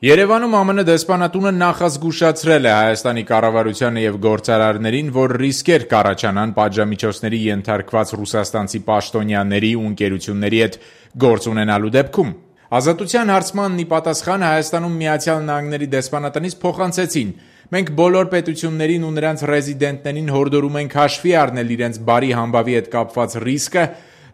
Երևանում ԱՄՆ դեսպանատունը նախազգուշացրել է Հայաստանի կառավարությանը եւ գործարարներին, որ ռիսկեր կառաջանան պատժամիջոցների ենթարկված ռուսաստանցի պաշտոնյաների ու ընկերությունների հետ գործ ունենալու դեպքում։ Ազատության հարցմանն ի պատասխան Հայաստանում Միացյալ Նահանգների դեսպանատնից փոխանցեցին. «Մենք բոլոր պետություններին ու նրանց ռեզիդենտներին հորդորում ենք հաշվի առնել իրենց բարի համբավի հետ կապված ռիսկը,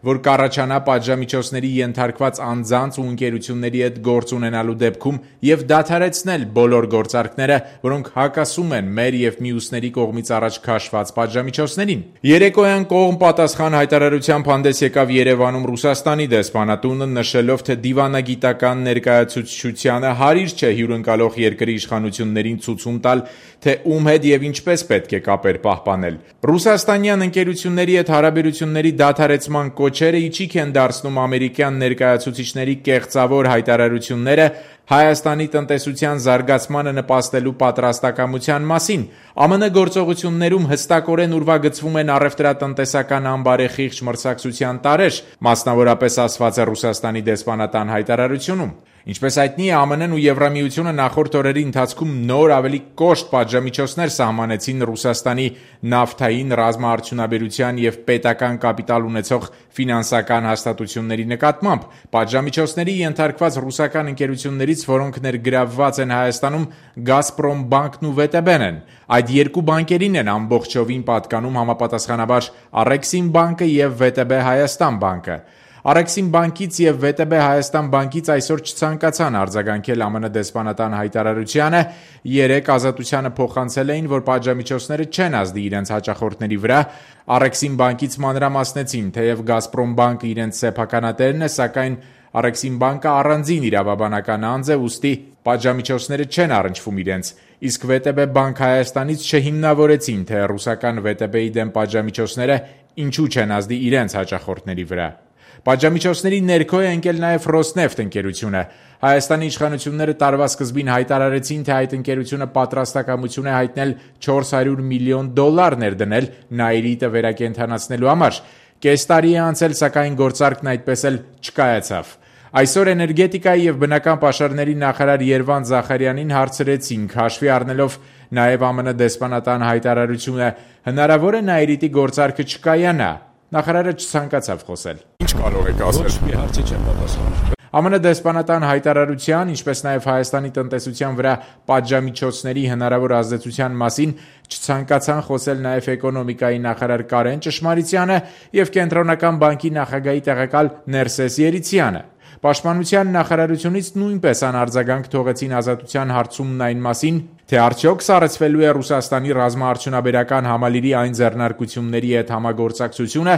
որ կառաջանա պատժամիջոցների ենթարկված անձանց ու ընկերությունների հետ գործ ունենալու դեպքում եւ դադարեցնել բոլոր գործարքները, որոնք հակասում են մեր եւ մյուսների կողմից առաջ քաշված պատժամիջոցներին»։ Երեկոյան կողմ պատասխան հայտարարությամբ հանդես եկավ Երևանում Ռուսաստանի դեսպանատունը, նշելով, թե դիվանագիտական ներկայացուցչությանը հարիր չէ հյուրընկալող երկրի իշխանություններին ցուցում տալ, թե ում հետ եւ ինչպես պետք է կապեր պահպանել։ Ռուսաստանյան ընկերությունների հետ հարաբերությունների դադարեցման կոչերը իջիկ են դարձնում ամերիկյան ներկայացուցիչների կեղծավոր հայտարարությունները Հայաստանի տնտեսության զարգացմանը նպաստելու պատրաստակամության մասին։ ԱՄՆ գործողություններում հստակորեն ուրվագծվում են առևտրատնտեսական անբարեխիղճ մրցակցության տարրեր, մասնավորապես ասված է Ռուսաստանի դեսպանատան հայտարարությունում։ Ինչպես հայտնի է, ԱՄՆ-ն ու Եվրամիությունը նախորդ օրերի ընթացքում նոր ավելի կոշտ պատժամիջոցներ սահմանեցին Ռուսաստանի նավթային, ռազմաարդյունաբերության եւ պետական կապիտալ ունեցող ֆինանսական հաստատությունների նկատմամբ։ Պատժամիջոցների ենթարկված ռուսական ընկերություններից, որոնք ներգրավված են Հայաստանում, Գազպրոմ բանկն ու ՎՏԲ-ն են։ Այդ երկու բանկերին են ամբողջովին պատկանում համապատասխանաբար Առեքսիմ բանկը եւ ՎՏԲ Հայաստան բանկը։ Առեքսիմ բանկից եւ ՎՏԲ Հայաստան բանկից այսօր չցանկացան արձագանքել ԱՄՆ դեսպանատան հայտարարությանը, երեկ Ազատությանը փոխանցել էին, որ պատժամիջոցները չեն ազդի իրենց հաճախորդների վրա։ Առեքսիմ բանկից մանրամասնեցին, թեև Գազպրոմ բանկը իրենց սեփականատերն է, սակայն Առեքսիմ բանկը առանձին իրավաբանական անձ է, ուստի պատժամիջոցները չեն առնչվում իրենց, իսկ ՎՏԲ բանկ Հայաստանից չհիմնավորեցին, թե ռուսական ՎՏԲ-ի դեմ պատժամիջոցները ինչու չեն ազդի իրենց հաճախորդների վրա։ Պատժամիջոցների ներքո է ընկել նաև Ռոսնեֆտ ընկերությունը։ Հայաստանի իշխանությունները տարվա սկզբին հայտարարեցին, թե այդ ընկերությունը պատրաստակամություն է հայտնել $400 միլիոն ներդնել Նաիրիտը վերակենդանացնելու համար։ Կես տարի է անցել, սակայն գործարքն այդպես էլ չկայացավ։ Այսօր էներգետիկայի եւ բնական պաշարների նախարար Երվան Զախարյանին հարցրեցինք, հաշվի առնելով նաև ԱՄՆ դեսպանատան հայտարարությունը, հնարավոր է Նաիրիտի գործարքը չկայանա։ Նախարարը չցանկացավ խոսել։ Ինչ կարող եք ասել։ Ոչ մի հարցի չեմ պատասխանել։ ԱՄՆ դեսպանատան հայտարարության, ինչպես նաև Հայաստանի տնտեսության վրա պատժամիջոցների հնարավոր ազդեցության մասին չցանկացան խոսել նաև էկոնոմիկայի նախարար Կարեն Ճշմարիտյանը եւ Կենտրոնական բանկի նախագահի տեղակալ Ներսես Երիցյանը։ Պաշտպանության նախարարությունից նույնպես անարձագանք թողեցին Ազատության հարցումն այն մասին, թե արդյոք սառեցվելու է Ռուսաստանի ռազմաարդյունաբերական համալիրի այն ձեռնարկությունների հետ համագործակցությունը,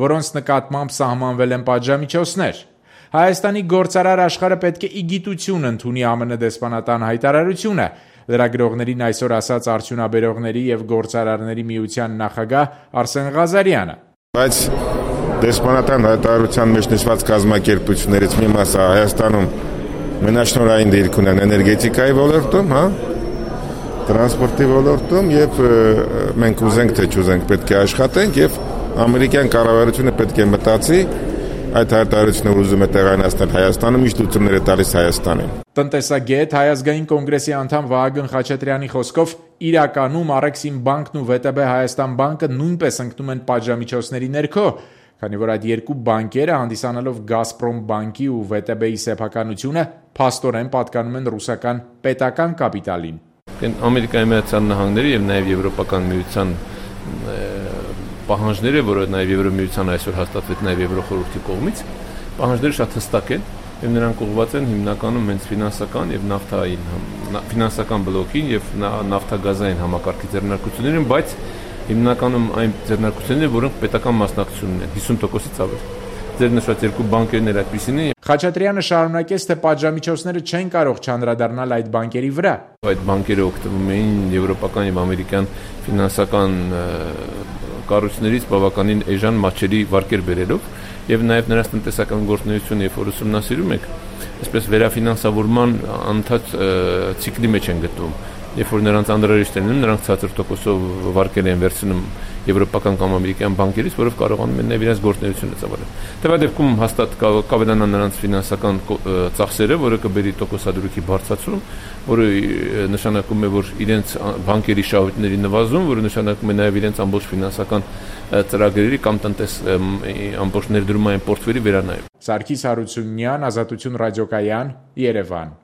որոնց նկատմամբ սահմանվել են պատժամիջոցներ։ Հայաստանի գործարար աշխարհը պետք է ի գիտություն ընդունի ԱՄՆ դեսպանատան հայտարարությունը, լրագրողներին այսօր ասաց արդյունաբերողների եւ գործարարների միության նախագահ Արսեն Ղազարյանը։ Բայց դեսպանատան հայտարարության մեջ նշված կազմակերպություններից մի մասը Հայաստանում մենաշնորհային դիրք ունեն էներգետիկայի ոլորտում, տրանսպորտի ոլորտում եւ մենք ուզենք թե չուզենք պետք է աշխատենք եւ ամերիկյան կառավարությունը պետք է մտածի այդ հայտարարությունը ուզում է տեղայնացնել Հայաստանում, ինչ լուծումներ է տալիս Հայաստանին։ Տնտեսագետ Հայ ազգային կոնգրեսի անդամ Վահագն Խաչատրյանի խոսքով իրականում Առեքսիմ բանկն ու ՎՏԲ Հայաստան բանկը նույնպես ընկնում են պատժամիջոցների ներքո, քանի որ այդ երկու բանկերը հանդիսանալով Գազպրոմ բանկի ու ՎՏԲ-ի սեփականությունը փաստորեն պատկանում են ռուսական պետական կապիտալին։ Ամերիկայի Միացյալ Նահանգների եւ նաեւ Եվրոպական միության պահանջները, որը նաեւ Եվրոմիության այսօր հաստատվեց նաեւ Եվրոխորհրդի կողմից, պահանջները շատ հստակ են եւ նրանք ուղղված են հիմնականում հենց ֆինանսական եւ նավթային ֆինանսական բլոկին եւ նավթագազային համակարգի ձեռնարկություններին, բայց հիմնականում այն ձեռնարկությունները, որոնք պետական մասնակցություն ունեն, 50%-ից ավել։ Ձեր նշած երկու բանկերն էլ այդպիսին են։ Խաչատրյանը շարունակեց, թե պատժամիջոցները չեն կարող չանդրադառնալ այդ բանկերի վրա։ Այդ բանկերը օգտվում էին եվրոպական եւ ամերիկյան ֆինանսական կառույցներից բավականին էժան մատչելի վարկեր բերելով եւ նաեւ նրանց տնտեսական գործունեությունը, երբ որ ուսումնասիրում եք, այսպես վերաֆինանսավորման անընդհատ ցիկլի մեջ են գտնվում։ երբ որ նրանց անհրաժեշտ են, նրանք ցածր տոկոսով վարկեր են վերցնում եվրոպական կամ ամերիկյան բանկերից, որով կարողանում են իրենց գործունեությունը ծավալել։ Տվյալ դեպքում հաստատ կավելանան նրանց ֆինանսական ծախսերը, որը կբերի տոկոսադրույքի բարձրացում, որը նշանակում է, որ իրենց բանկերի շահույթների նվազում, որը նշանակում է նաև իրենց ամբողջ ֆինանսական ծրագրերի կամ ամբողջ ներդրումային պորտֆելի վերանայում։ Սարգիս Հարությունյան, Ազատություն ռադիոկայան, Երևան։